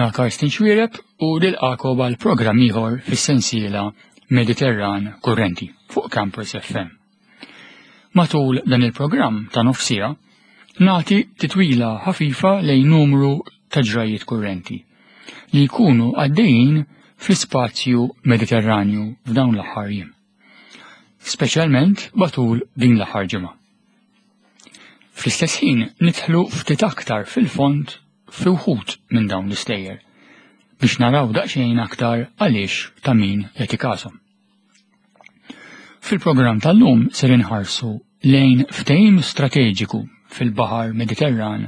Jiena Karsten Xwireb u nilqakom għal programm ieħor fis-sensiela Mediterran Kurrenti fuq Campus FM. Matul dan il-programm ta' nofsija, nagħti titwila ħafifa lejn numru ta' ġrajiet kurrenti li jkunu għaddejjin fl-ispazju Mediterranju f'dawn l-aħħar jiem. Speċjalment matul din l-aħħar ġimgħa. Fl-istess ħin nidħlu ftit aktar fil-fond fi wħud minn dawn l-istejjer biex naraw daqsxejn aktar għaliex ta' min jagħti każhom. Fil-programm tal-lum ser inħarsu lejn ftehim strateġiku fil-Baħar Mediterran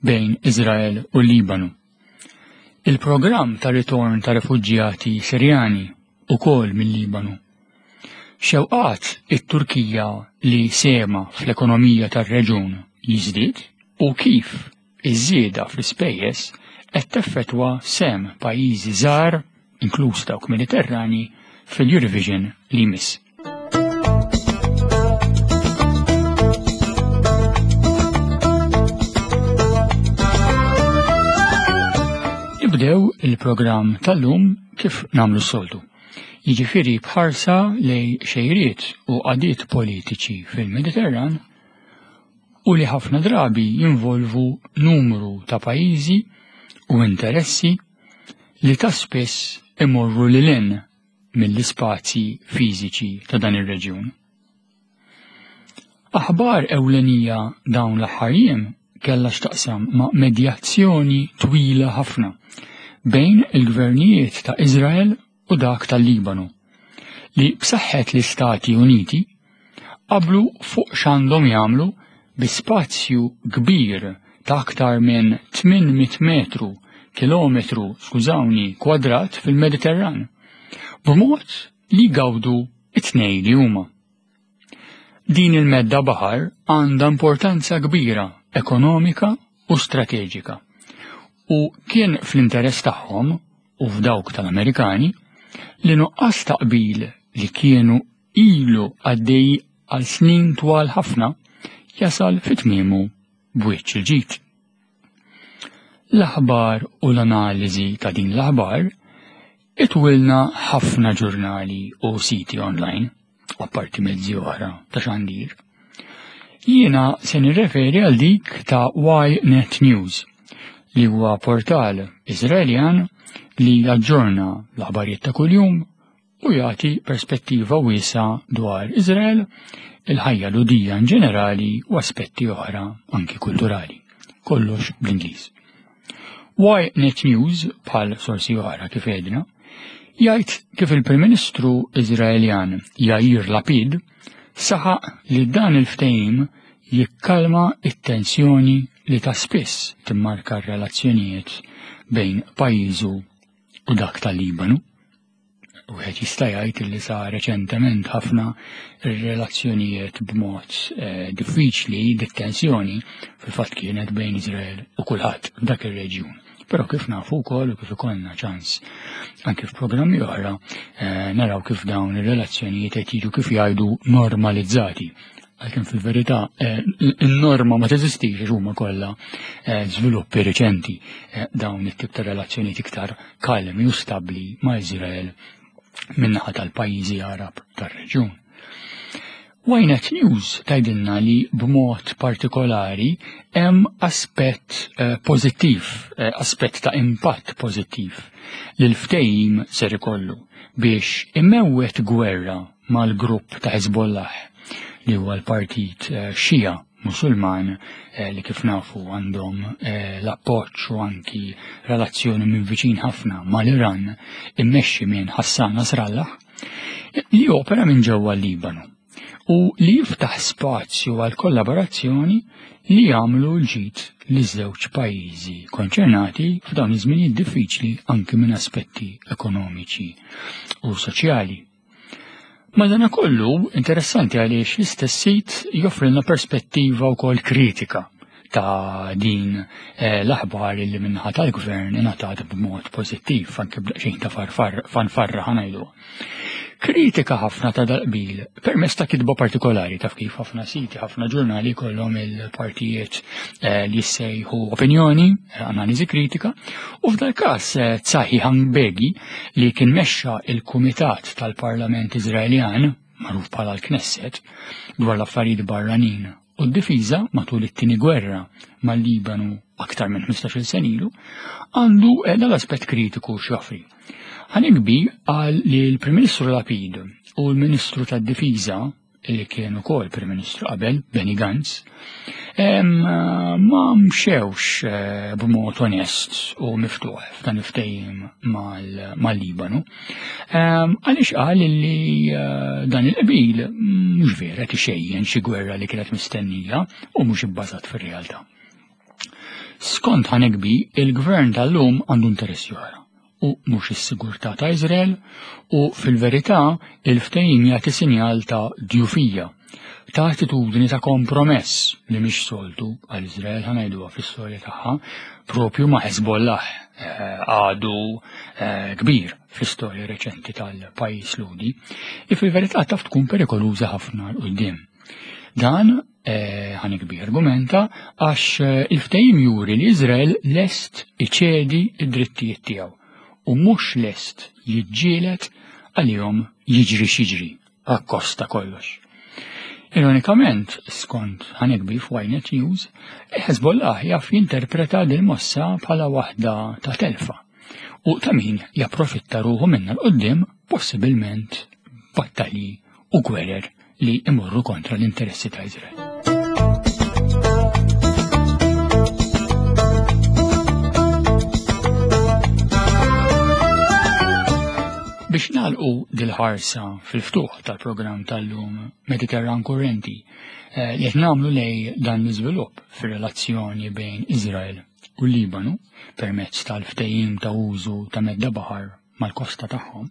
bejn Iżrael u l-Libanu. Il-programm ta' ritorn ta' refuġjati Sirjani ukoll mill-Libanu. Xewqat it-Turkija li sehemha fl-ekonomija tar-reġun jiżdied u kif iż-żieda fl-ispejjeż qed teffettwa sehem pajjiżi żgħar, inkluż dawk Mediterrani, fil-Eurovision li jmiss. Nibdew il-programm tal-lum kif nagħmlu s-soltu. Jiġifieri b'ħarsa lej xejriet u qagħdiet politiċi fil-Mediterran u li ħafna drabi jinvolvu numru ta' pajjiżi u interessi li ta' spiss imorru lil hinn mill-ispazji fiżiċi ta' dan ir-reġjun. Aħbar ewlenija dawn l-aħħar jiem kellha x'taqsam ma' medjazzjoni twila ħafna bejn il-gvernijiet ta' Iżrael u dak tal-Libanu, li b'saħħet l-Istati Uniti qablu fuq x'għandhom jagħmlu bi spazju kbir ta' aktar minn 800 metru kilometru, skużawni, kwadrat fil-Mediterran, b'mod li jgawdu it-tnejn li huma. Din il-medda baħar għandha importanza kbira ekonomika u strateġika u kien fl-interess tagħhom u f'dawk tal-Amerikani li nuqqas ta' qbil li kienu ilu għaddej għal snin twal ħafna jasal fi tmiemu b'wiċċ il-ġid. L-aħbar u l-analiżi ta' din l-aħbar itwilna ħafna ġurnali u siti online, u apparti mezzi oħra ta' xandir. Jiena se nirreferi għal dik ta' Ynet News, li huwa portal Iżraeljan li jaġġorna l-aħbarijiet ta' kuljum u jagħti perspettiva wiesgħa dwar Iżrael, il-ħajja Lhudija in ġenerali u aspetti oħra anki kulturali. Kollox bl-Ingliż. Ynet News, bħal sorsi oħra kif għedna, jgħid kif il-Prim Ministru Iżraeljan Yair Lapid saħaq li dan il-ftehim jikkalma it-tensjoni li ta' spiss timmarka r-relazzjonijiet bejn pajjiżu u dak tal-Libanu. Wieħed jista' jgħid li sa reċentement ħafna ir-relazzjonijiet b'mod eh, diffiċli, dit-tensjoni fil-fatt kienet bejn Iżrael u kulħadd f'dak ir-reġjun. Però kif nafu wkoll u kif ikollna ċans anke f'programmi oħra eh, naraw kif dawn ir-relazzjonijiet qed jiġu kif jgħidu normalizzati. Għalkemm fil-verità eh, in-norma ma teżistix għax huma kollha żviluppi reċenti dawn it-tip ta' relazzjonijiet iktar kalmi u stabbli ma' Iżrael min-naħa tal-pajjiżi Għarab tar-reġjun. Ynet News tgħidilna li b'mod partikolari hemm aspett eh, pożittiv, eh, aspett ta' impatt pożittiv li l-ftehim ser ikollu biex imewwet gwerra mal-grupp ta' Hezbollah li huwa l-partit eh, Xija Musulman eh, li kif nafu għandhom eh, l-appoġġ u anki relazzjoni minn viċin ħafna mal-Iran immexxi minn Hassan Nasrallah li opera minn ġewwa l-Libanu u li jiftaħ spazju għal kollaborazzjoni li jagħmlu l-ġid li żewġ pajjiżi konċernati f'dawn iż-żminijiet diffiċli anki minn aspetti ekonomiċi u soċjali. Madanakollu, interessanti għaliex l-istess sit joffrilna perspettiva wkoll kritika ta' din eh, l-aħbar li minnaħa tal-gvern ingħatat b'mod pożittiv anke b'daqsxejn ta' fanfarra ħanajdu. Kritika ħafna ta' dal-qbil permezz ta' kitba partikolari taf kif ħafna siti, ħafna ġurnali kollhom il-partijiet eh, li jissejħu opinjoni, eh, analiżi kritika, u f'dal każ eh, Tsahi Hangbegi li kien mexxa il-Kumitat tal-Parlament Iżraeljan, magħruf bħala l-Knesset, dwar l-affarijiet barranin u d-difiża matul it-tieni gwerra mal-Libanu aktar minn 15-il sena ilu, għandu eh, dal-aspett kritiku x'joffri. Hanegbi qal li l-Prim Ministru Lapid u l-Ministru tad-Difiża li kien ukoll Prim Ministru qabel, Benny Gantz, ma mxewx eh, b'mod onest u miftuħ f'dan il-ftehim mal-Libanu. Għaliex qal li eh, dan il-qbil mhux vera tixejjen xi gwerra li kienet mistennija u mhux ibbażat fir-realtà. Skont Hanegbi, il-gvern tal-lum għandu interessi oħra u mhux is-sigurtà ta' Iżrael u fil-verità il-ftehim jagħti sinjal ta' djufija, ta' attitudni ta' kompromess li mhix soltu għal Iżrael ħa ngħiduha fl-istorja tagħha propju ma' Hezbollah eh, għadu eh, kbir fl-istorja reċenti tal-pajjiż Lhudi, li fil-verità taf tkun perikoluża ħafna 'l quddiem. Dan eh, ħanikbi argumenta għax il-ftehim juri li Iżrael lest iċedi id-drittijiet tiegħu u mhux lest jiġġieled għalihom jiġri x'jiġri akkost ta' kollox. Ironikament, skont Hanegbi f'Ynet News, Hezbollah jaf jinterpreta din mossa bħala waħda ta' telfa u ta' min japprofitta ruħu minna l-qoddim possibilment battalji u gwerer li imorru kontra l-interessi ta' Izrael. Biex nagħlqu dil-ħarsa fil-ftuħ tal-programm tal-lum Mediterran Kurrenti eh, li qed nagħmlu lej dan l-iżvilupp fir-relazzjoni bejn Izrael u Libanu permezz tal-ftehim ta' użu ta' medda baħar mal-kosta tagħhom,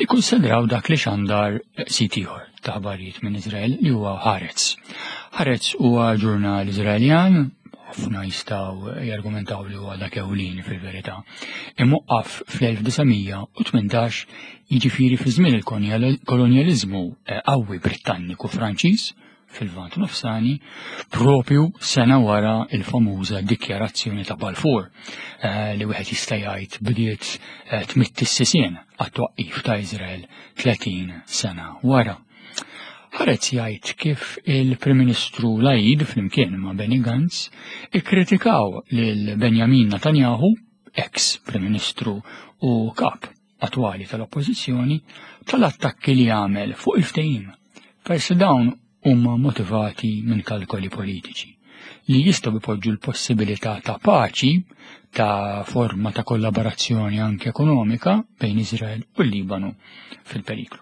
ikkunsidraw dak li xandar sit ieħor ta' ħbarijiet minn Iżrael li huwa Haaretz. Haaretz huwa ġurnal Iżraeljan, ħafna jistgħu jargumentaw li huwa dak ewlieni fil-verità. Imwaqqaf fl-1918 jiġifieri fi żmien il-kolonjaliżmu eh, qawwi Brittanniku Franċiż fil-Lvant Nofsani propju sena wara il-famuża dikjarazzjoni ta' Balfour eh, li wieħed jista' jgħid bdiet eh, tmitt is-sisien għat-twaqqif ta' Iżrael 30 sena wara. Ħareġ jgħid kif il-Prim Ministru Laid flimkien ma' Benny Gantz ikkritikaw lil Benjamin Netanyahu, ex Prim Ministru u kap attwali tal-Oppożizzjoni tal-attakki li għamel fuq il-ftehim, peress li dawn huma motivati minn kalkoli politiċi li jistgħu jpoġġu l-possibilità ta' paċi ta' forma ta' kollaborazzjoni anke ekonomika bejn Iżrael u l-Libanu fil-periklu.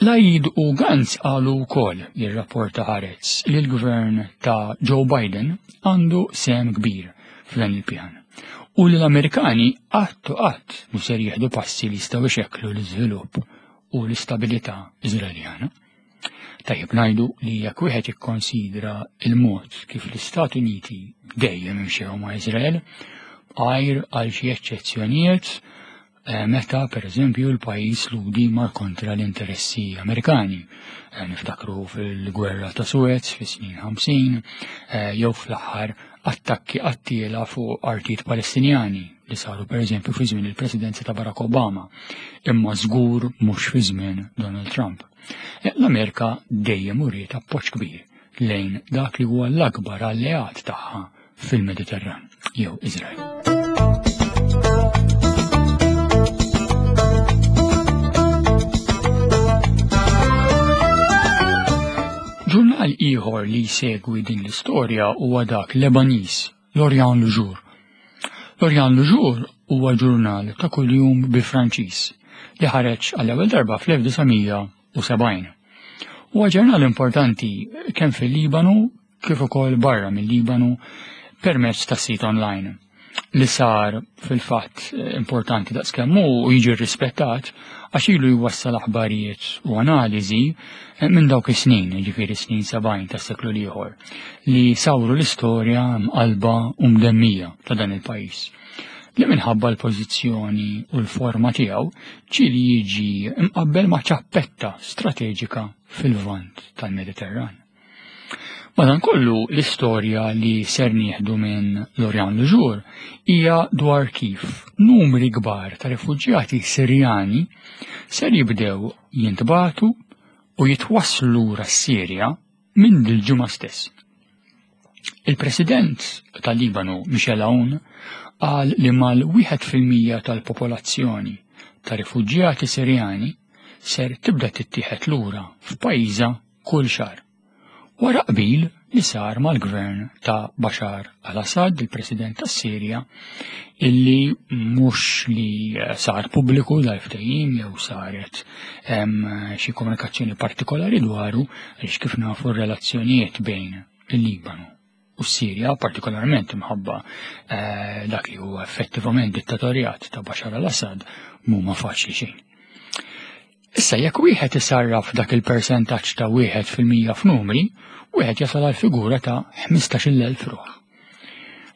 Laid u Gantz qalu wkoll jirrapporta Haaretz li l-gvern ta' Joe Biden għandu sehem kbir f'dan il-pjan u li l-Amerikani qatt u qatt mhux ser jieħdu passi li jistgħu jxekklu l-iżvilupp u l-istabilità Iżraeljana. Tajjeb ngħidu li jekk wieħed jikkonsidra il-mod kif l-Istati Uniti dejjem imxew ma' Iżrael, għajr għal xi eċċezzjonijiet Eh, meta per eżempju l-pajjiż Lhudi mar kontra l-interessi Amerikani. Eh, niftakru fil-gwerra ta' Suez fis-snin 50 eh, jew fl-aħħar attakki qattiela fuq artijiet Palestinjani li saru per eżempju fi żmien il-presidenza ta' Barack Obama, imma żgur mhux fi żmien Donald Trump. L-Amerika dejjem uriet appoġġ kbir lejn dak li huwa l-akbar alleat tagħha fil-Mediterran jew Iżrael. Ġurnal ieħor li jsegwi din l-istorja huwa dak Lebaniż, L'Orient Le Jour. L'Orient Le Jour huwa ġurnal ta' kuljum bil-Franċiż li ħareġ għall-ewwel darba fl-1970. Huwa ġurnal importanti kemm fil-Libanu kif ukoll barra mill-Libanu permezz ta' sit online li sar fil-fatt importanti daqskemm hu u jiġi rrispettat għax ilu jwassal aħbarijiet u analiżi eh, minn dawk is-snin, jiġifieri snin 70 tas-seklu l-ieħor, li sawru l-istorja mqalba u mdemmija ta' dan il-pajjiż. li minħabba l-pożizzjoni u l-forma tiegħu ġieli jiġi mqabbel ma' ċappetta strateġika fil-Lvant tal-Mediterran. Madankollu l-istorja li ser nieħdu minn L'Orient Le Jour hija dwar kif numri kbar ta' refuġjati Sirjani ser jibdew jintbagħtu u jitwasslu lura s-Sirja minn dil-ġimgħa stess. Il-President tal-Libanu Michel Aoun qal li mal-1% tal-popolazzjoni ta' rifuġjati Sirjani ser tibda tittieħed lura f'pajjiżha kull xahar. Wara qbil li sar mal-gvern ta' Bashar al-Assad, il-President tas-Sirja, illi mhux li sar pubbliku dal-ftehim jew saret xi komunikazzjoni partikolari dwaru għaliex kif nafu r-relazzjonijiet bejn il-Libanu u s-Sirja, partikolarment imħabba eh, dak li huwa effettivament dittatorjat ta' Bashar al-Assad, mhuma faċli xejn. Issa jekk wieħed isarraf dak il-persentaġġ ta' 1% f'numri, wieħed jasal għal figura ta' 15,000 ruħ.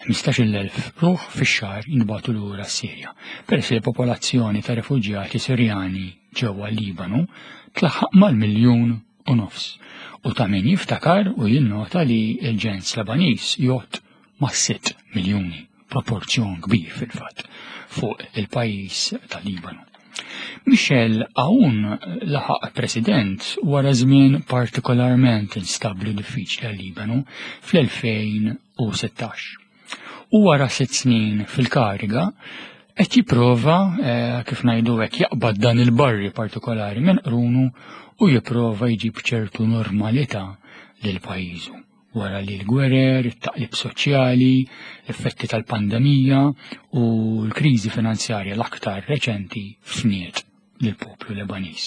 15,000 ruħ fix-xahar jinbagħtu lura s-Sirja. Peress li l-popolazzjoni ta' refuġjati Sirjani ġewwa Libanu tlaħħaq mal-miljun u nofs. U ta' min jiftakar u jinnota li l-ġens Lebaniż jgħodd ma' 6 miljuni, proporzjon kbir fil-fatt, fuq il-pajjiż tal-Libanu. Michel Aoun laħaq president wara żmien partikolarment instabbli u diffiċli għal-Libanu fl-2016. U wara sitt snin fil-kariga, qed jipprova eh, kif ngħidu hekk jaqbad dan il-barri partikolari minn qrunu u jipprova jġib ċertu normalità lil pajjiżu wara li l-gwerer, it-taqlib soċjali, l-effetti tal-pandemija u l-kriżi finanzjarja l-aktar reċenti fniet lill-poplu Lebaniż.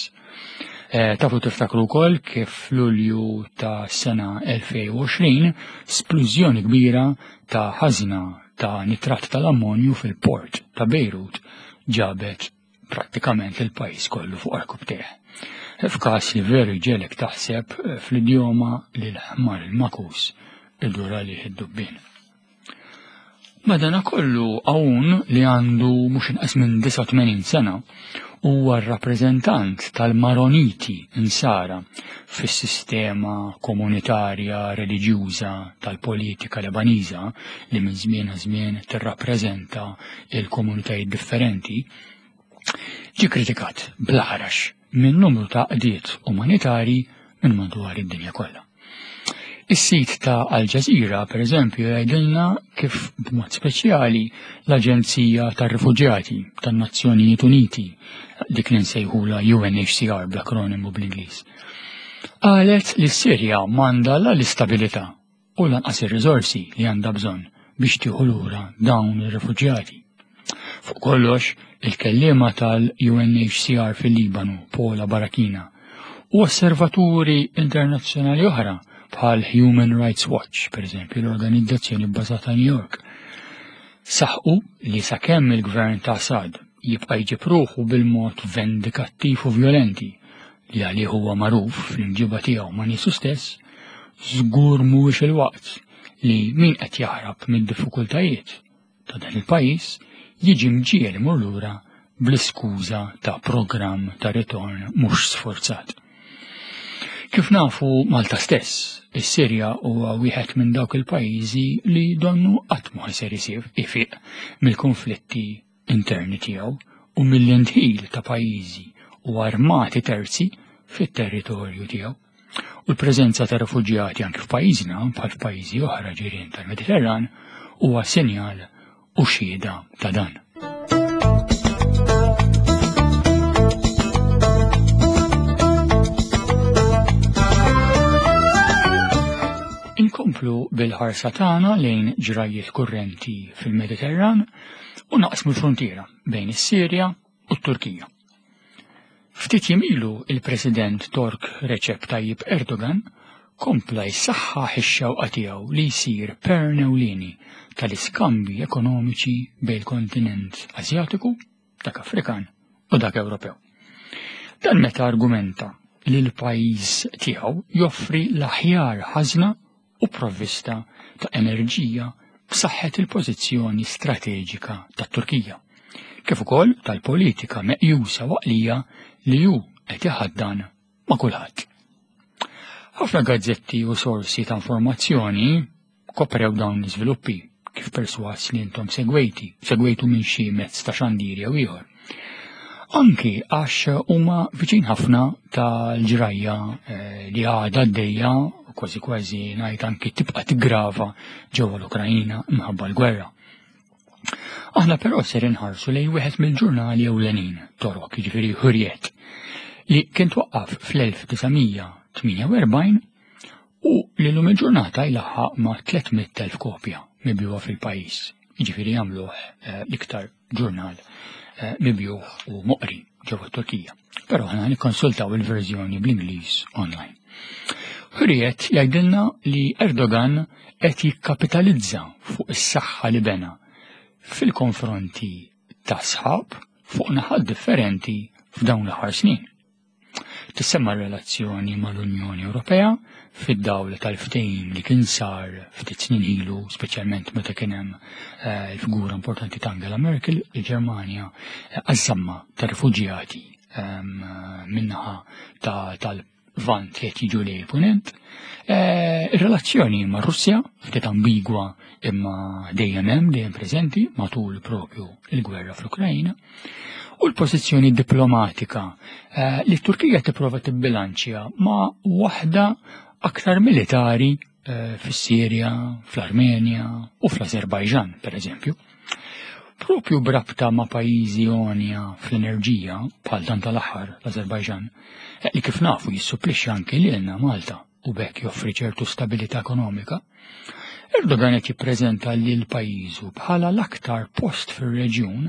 Eh, tafu tiftakru wkoll kif f'Lulju ta' sena 2020 splużjoni kbira ta' ħażna ta' nitrat tal-ammonju fil-port ta' Bejrut ġabet prattikament il-pajjiż kollu fuq arkubtejh. F'każ li veru jġegħlek taħseb eh, fl-idjoma li l-ħmar il-makus idur għalih id-dubbien. Madanakollu hawn li għandu mhux inqas minn 89 sena huwa r-rappreżentant tal-Maroniti insara fis-sistema komunitarja reliġjuża tal-politika Lebaniża li minn żmien għal żmien tirrappreżenta il-komunitajiet differenti, ġie kritikat bl-aħrax minn numru ta' għaqdiet umanitarji minn madwar id-dinja kollha. Is-sit ta' Al Jazeera, per eżempju, jgħidilna kif b'mod speċjali l-Aġenzija tar-Rifuġjati tan-Nazzjonijiet Uniti, dik li nsejħula UNHCR bl-akronimu bl-Ingliż, qalet li s-Sirja m'għandha la l-istabilità u lanqas ir-riżorsi li għandha bżonn biex tieħu lura dawn ir-rifuġjati. Fuq kollox, il-kelliema tal-UNHCR fil-Libanu, Paula Barakina, u osservaturi internazzjonali oħra bħal Human Rights Watch, per eżempju, l-organizzazzjoni bbażata New York, saħqu li sakemm il-gvern ta' Assad jibqa' jġib ruħu bil-mod vendikattiv u violenti li għalih huwa magħruf fl-imġiba tiegħu ma' niesu stess, żgur mhuwiex il-waqt li min qed jaħrab mid-diffikultajiet ta' dan il-pajjiż jiġi mġiegħel imur lura bl-iskuża ta' programm ta' ritorn mhux sforzat. Kif nafu Malta stess, is-Sirja huwa wieħed minn dawk il-pajjiżi li donnu qatt ma ser isir ifiq mill-konflitti interni tiegħu u mill-indħil ta' pajjiżi u armati terzi fit-territorju tiegħu. U l-preżenza ta' refuġjati anke f'pajjiżna bħal f'pajjiżi oħra ġirien tal-Mediterran huwa sinjal u xhieda ta' dan. Inkomplu bil-ħarsa tagħna lejn ġrajjiet kurrenti fil-Mediterran u naqsmu l-fruntiera bejn is-Sirja u t-Turkija. Ftit jiem ilu il-President Tork Recep Tayyip Erdogan kompla jsaħħaħ ix-xewqa tiegħu li jsir pern ewlieni tal-iskambji ekonomiċi bejn il-kontinent Asjatiku, dak Afrikan u dak Ewropew. Dan meta argumenta li l-pajjiż tiegħu joffri l-aħjar ħażna u provvista ta' enerġija b'saħħet il-pożizzjoni strateġika tat-Turkija, kif ukoll tal-politika meqjusa waqlija li hu qed iħaddan ma' kulħadd. Ħafna gazzetti u sorsi ta' informazzjoni koprew dawn l-iżviluppi kif perswas li intom segwejti, segwejtu minn xi mezz ta' xandir jew ieħor. Anki għax huma viċin ħafna tal-ġrajja eh, li għadha għaddejja kważi kważi ngħid anki tibqa' tigrava ġewwa l-Ukrajina minħabba l-gwerra. Aħna però ser inħarsu lejn wieħed mill-ġurnali ewlenin Torok, jiġifieri Hurriet, li kien twaqqaf fl-1948 u li lum il-ġurnata jlaħħaq ma' 300,000 kopja mibjuha fil-pajjiż. Jiġifieri jagħmluh eh, l-iktar ġurnal eh, mibjuh u moqri ġewwa Turkija. Però aħna nikkonsultaw il-verżjoni bl-Ingliż online. Hurriet jgħidilna li Erdogan qed jikkapitalizza fuq is-saħħa li bena fil-konfronti ta' sħab fuq naħat differenti f'dawn l-aħħar snin. Tissemma relazzjoni mal-Unjoni Ewropea fid-dawl tal-ftehim li kien sar ftit snin ilu, speċjalment meta kien hemm eh, il-figura importanti ta' Angela Merkel, il-Ġermanja eh, għaż-żamma ta' rifuġjati ehm, minnaħa tal-Lvant li qed jiġu lejn il-Punent. Eh, ir-relazzjoni ma' Russja ftit ambigwa imma dejjem hemm dejjem preżenti matul propju il-gwerra fl-Ukrajna u l-pożizzjoni diplomatika eh, li t-Turkija tipprova tibbilanċja ma' waħda aktar militari eh, fis-Sirja, fl-Armenja u fl-Azerbajġan, per eżempju. Propju brabta ma' pajjiżi għonja fl-enerġija, bħal dan tal-aħħar l-Azerbajġan, eh, li kif nafu jissupplixxi anki lilna Malta u b'hekk joffri ċertu stabilità ekonomika, Erdogan qed jippreżenta lil pajjiżu bħala l-aktar post fir-reġjun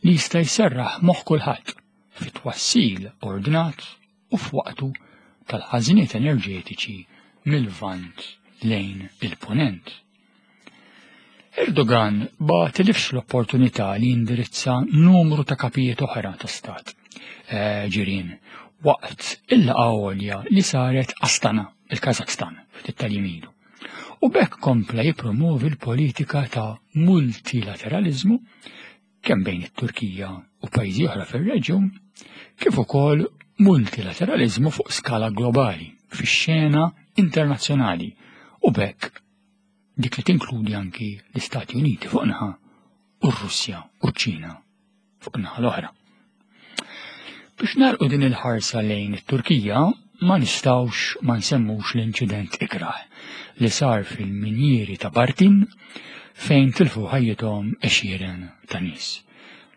li jista' jserraħ moħħ kulħadd fit-twassil ordnat u f'waqtu tal-ħażniet enerġetiċi mil-Lvant lejn il-Punent. Erdogan ma tilifx l-opportunità li jindirizza numru ta' kapijiet oħra ta' stat eh, ġirien waqt il-laqgħa għolja li saret Astana, il-Kazakhstan, ftit tal-jiem ilu. U b'hekk kompla jippromovi l-politika ta' multilateralizmu kemm bejn it-Turkija u pajjiżi oħra fir-reġjun, kif ukoll multilateralizmu fuq skala globali fix-xena internazzjonali u b'hekk dik li tinkludi anki l-Istati Uniti fuq naħa u r-Russja u ċ-Ċina fuq naħa l-oħra. Biex narqu din il-ħarsa lejn it-Turkija, ma nistawx ma nsemmux l-inċident ikrah li sar fil-minjieri ta' Bartin fejn tilfu ħajjithom għexieren ta' nies.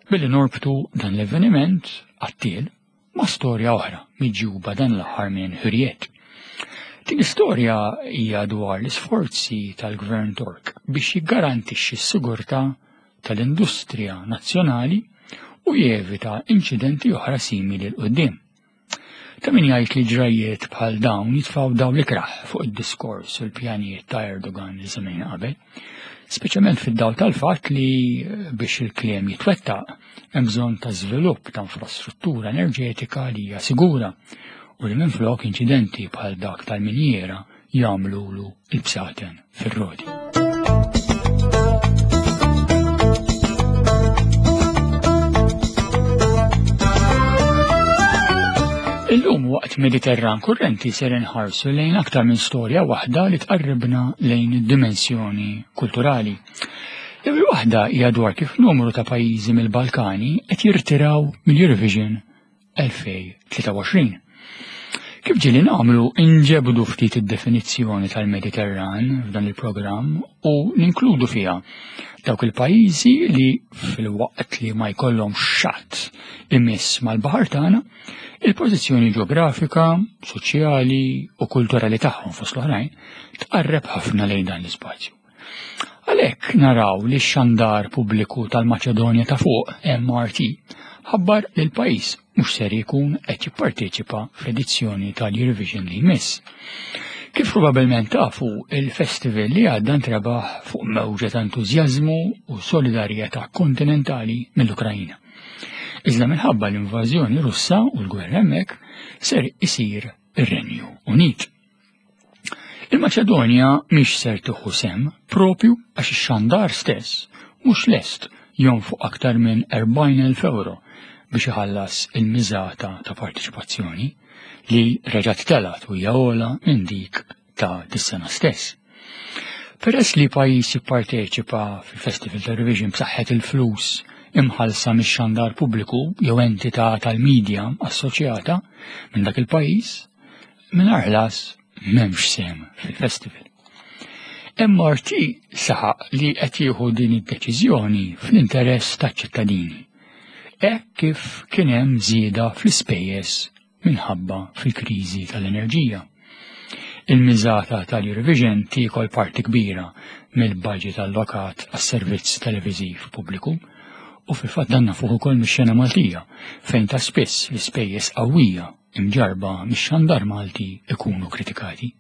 Billi norbtu dan l-avveniment għattiel ma' storja oħra miġjuba dan l-aħħar minn Hürriyet. Din l-istorja hija dwar l-isforzi tal-Gvern Tork biex jiggarantixxi s-sigurtà tal-industrija nazzjonali u jevita inċidenti oħra simili 'l quddiem. Ta' min jgħid li ġrajjiet bħal dawn jitfgħu dawl ikrah fuq id-diskors u l-pjanijiet ta' Erdogan li semmejna qabel, speċjalment fid-dawl tal-fatt li eh, biex il-kliem jitwettaq hemm bżonn ta' żvilupp ta' infrastruttura enerġetika li hija sigura u li minflok inċidenti bħal dak tal-minjiera jagħmlulu il-bsaten fir-roti. Illum waqt Mediterran Kurrenti ser inħarsu lejn aktar minn storja waħda li tqarribna lejn id-dimensjoni kulturali. L-ewwel waħda hija dwar kif numru ta' pajjiżi mill-Balkani qed jirtiraw mill-Eurovision 2023. Kif ġieli nagħmlu inġebdu ftit id-definizzjoni tal-Mediterran f'dan il-programm u ninkludu fiha dawk il-pajjiżi li fil-waqt li ma jkollhomx xatt imiss mal-baħar tagħna, il-pożizzjoni ġeografika, soċjali u kulturali tagħhom fost l-oħrajn tqarreb ħafna lejn dan l-ispazju. Għalhekk naraw li x-xandar pubbliku tal-Maċedonja ta' Fuq, MRT, ħabbar li l-pajjiż mhux ser jkun qed jipparteċipa fl-edizzjoni tal-Eurovision li jmiss. Kif probabilment tafu, il-festival li għadda ntrebaħ fuq mewġa ta' entużjażmu u solidarjetà kontinentali mill-Ukrajina. Iżda minħabba l-invażjoni Russa u l-gwerra hemmhekk ser isir ir-Renju Unit. Il-Maċedonja mhix ser tieħu sehem propju għax ix-xandar stess mhux lest jonfoq aktar minn 40,000 euro biex iħallas il-miżata ta' partiċipazzjoni li reġgħet telgħet u hija ogħla minn dik ta' dis-sena stess. Peress li pajjiż jipparteċipa fil-Festival Television b'saħħet il-flus imħallsa mix-xandar pubbliku jew entità tal-medja assoċjata minn dak il-pajjiż, mingħajr ħlas m'hemmx sehem fil-festival. MRT saħaq li qed jieħu din id-deċiżjoni fl-interess taċ-ċittadini. Hekk kif kien hemm żieda fl-ispejjeż minħabba fil-kriżi tal-enerġija. Il-miżata tal-Eurovision tiekol parti kbira mill-budget allokat għas-servizz televiżiv pubbliku u fil-fatt dan nafuh ukoll mix-xena Maltija fejn ta' spiss l-ispejjeż qawwija imġarrba mix-xandar Malti ikunu kritikati.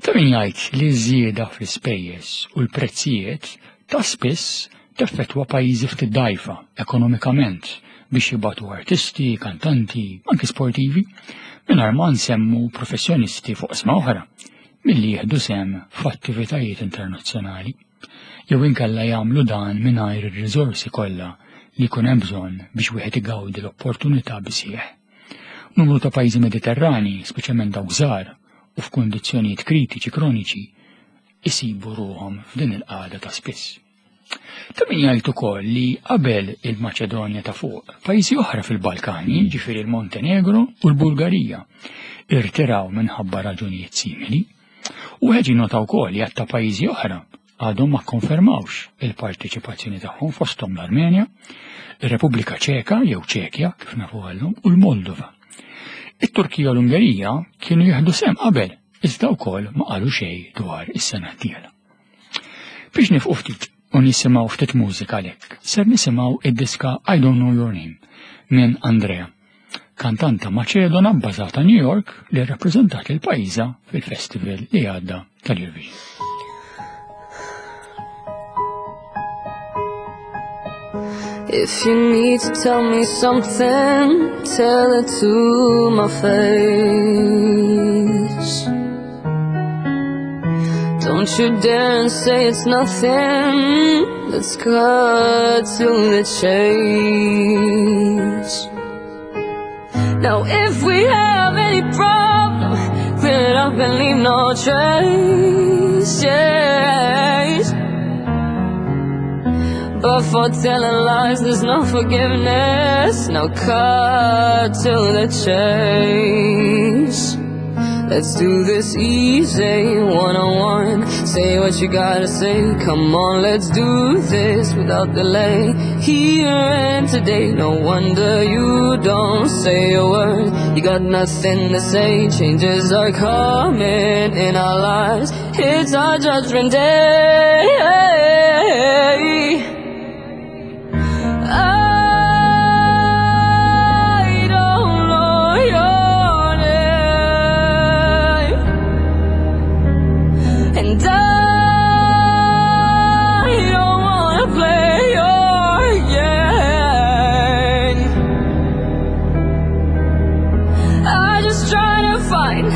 Ta' min jgħid li ż-żieda fl-ispejjeż u l-prezzijiet ta' spiss teffettwa pajjiżi ftit dgħajfa ekonomikament biex jibagħtu artisti, kantanti, anki sportivi, mingħajr ma nsemmu professjonisti fuq oqsma oħra milli jieħdu sehem f'attivitajiet internazzjonali jew inkella jagħmlu dan mingħajr ir-riżorsi kollha li jkun hemm bżonn biex wieħed igawdi l-opportunità bisħieħ. Numru ta' pajjiżi Mediterrani, speċjalment dawk żgħar u f'kundizzjonijiet kritiċi kroniċi, isibu ruħhom f'din il-qagħda ta' spiss. Ta' min jgħid ukoll li qabel il-Maċedonja ta' fuq, pajjiżi oħra fil-Balkani, ġifieri l-Montenegro u l-Bulgarija, irtiraw minħabba raġunijiet simili. U wieħed jinnota wkoll li għadd ta' pajjiżi oħra għadhom ma kkonfermawx il-parteċipazzjoni tagħhom fosthom l-Armenja, ir-Repubblika Ċeka jew Ċekja kif nafu għallum u l-Moldova. It-Turkija u l-Ungerija kienu jieħdu sehem qabel, iżda wkoll ma qalu xejn dwar is-sena d-dieħla. Biex nifqu ftit u nisimgħu ftit mużika għalhekk, ser nisimgħu id-diska I Don't Know Your Name minn Andrea kantanta Maċedona bbażata New York li rrappreżentat lil pajjiżha fil-festival li għadda tal-Eurovision. If you need to tell me something, tell it to my face. Don't you dare say it's nothing. Let's cut to the chase. Now if we have any problem, clear it up and leave no trace. Yes. But for telling lies, there's no forgiveness. Now cut to the chase. Let's do this easy, one-on-one. Say what you gotta say. Come on, let's do this without delay. Here and today, no wonder you don't say a word. You got nothing to say. Changes are coming in our lives. It's our judgment day. I don't know your name, and I don't wanna play your game. I just try to find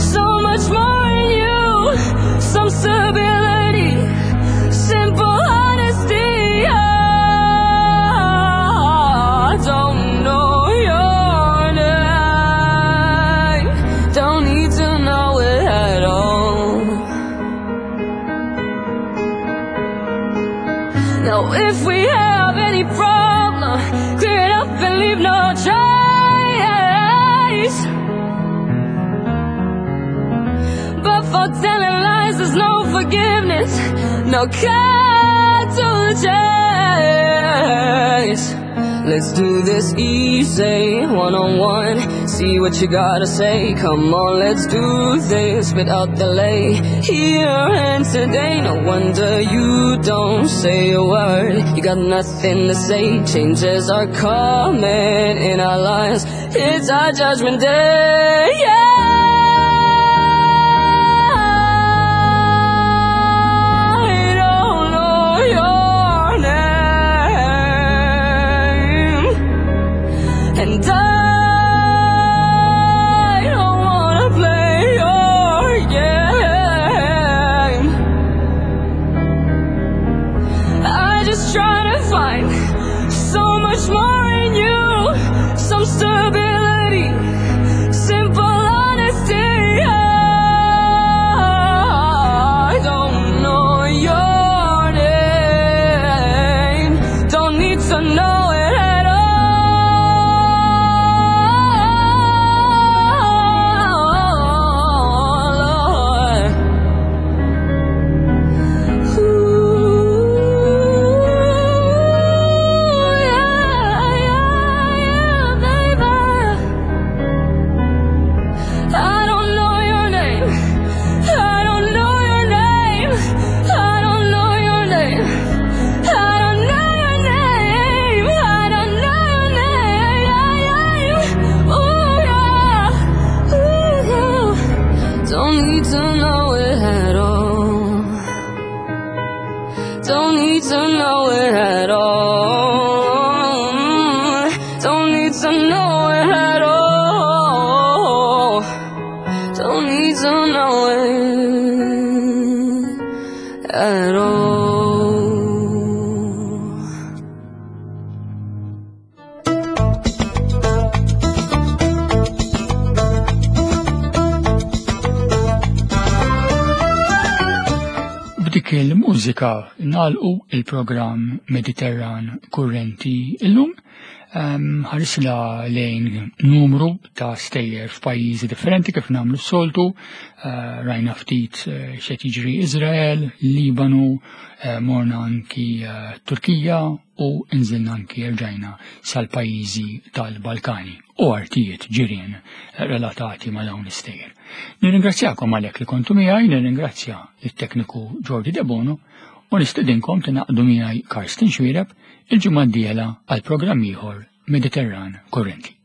so much more in you, some stability, simple honesty. I don't know your name, don't need to know it at all. Now if we have any problem, clear it up and leave no trace. But for telling lies, there's no forgiveness. No cut to the chase. Let's do this easy, one-on-one. See what you gotta say. Come on, let's do this without delay. Here and today, no wonder you don't say a word. You got nothing to say. Changes are coming in our lives. It's our judgment day. Yeah. I don't know your name, and I don't wanna play your to know it at all. Don't need to know it at all. B'dik il-mużika nagħlqu il-programm Mediterran Kurrenti illum ħarisla lejn numru ta' stejjer f'pajjiżi differenti kif nagħmlu s-soltu, eh, rajna ftit eh, xed jiġri Izrael, Libanu, eh, morna anki Turkija u nżilna anki rġajna sal-pajjiżi tal-Balkani u artijiet ġirien relatati ma' dawn l-istejjer. Nirringrazzjakom għalhekk li kontu miegħi, nirringrazzja lit-tekniku Jordi Debono u nistedinkom tingħaqdu miegħi Karsten Xwireb il-ġimgħa d-dieħla għal programm ieħor Mediterran Kurrenti.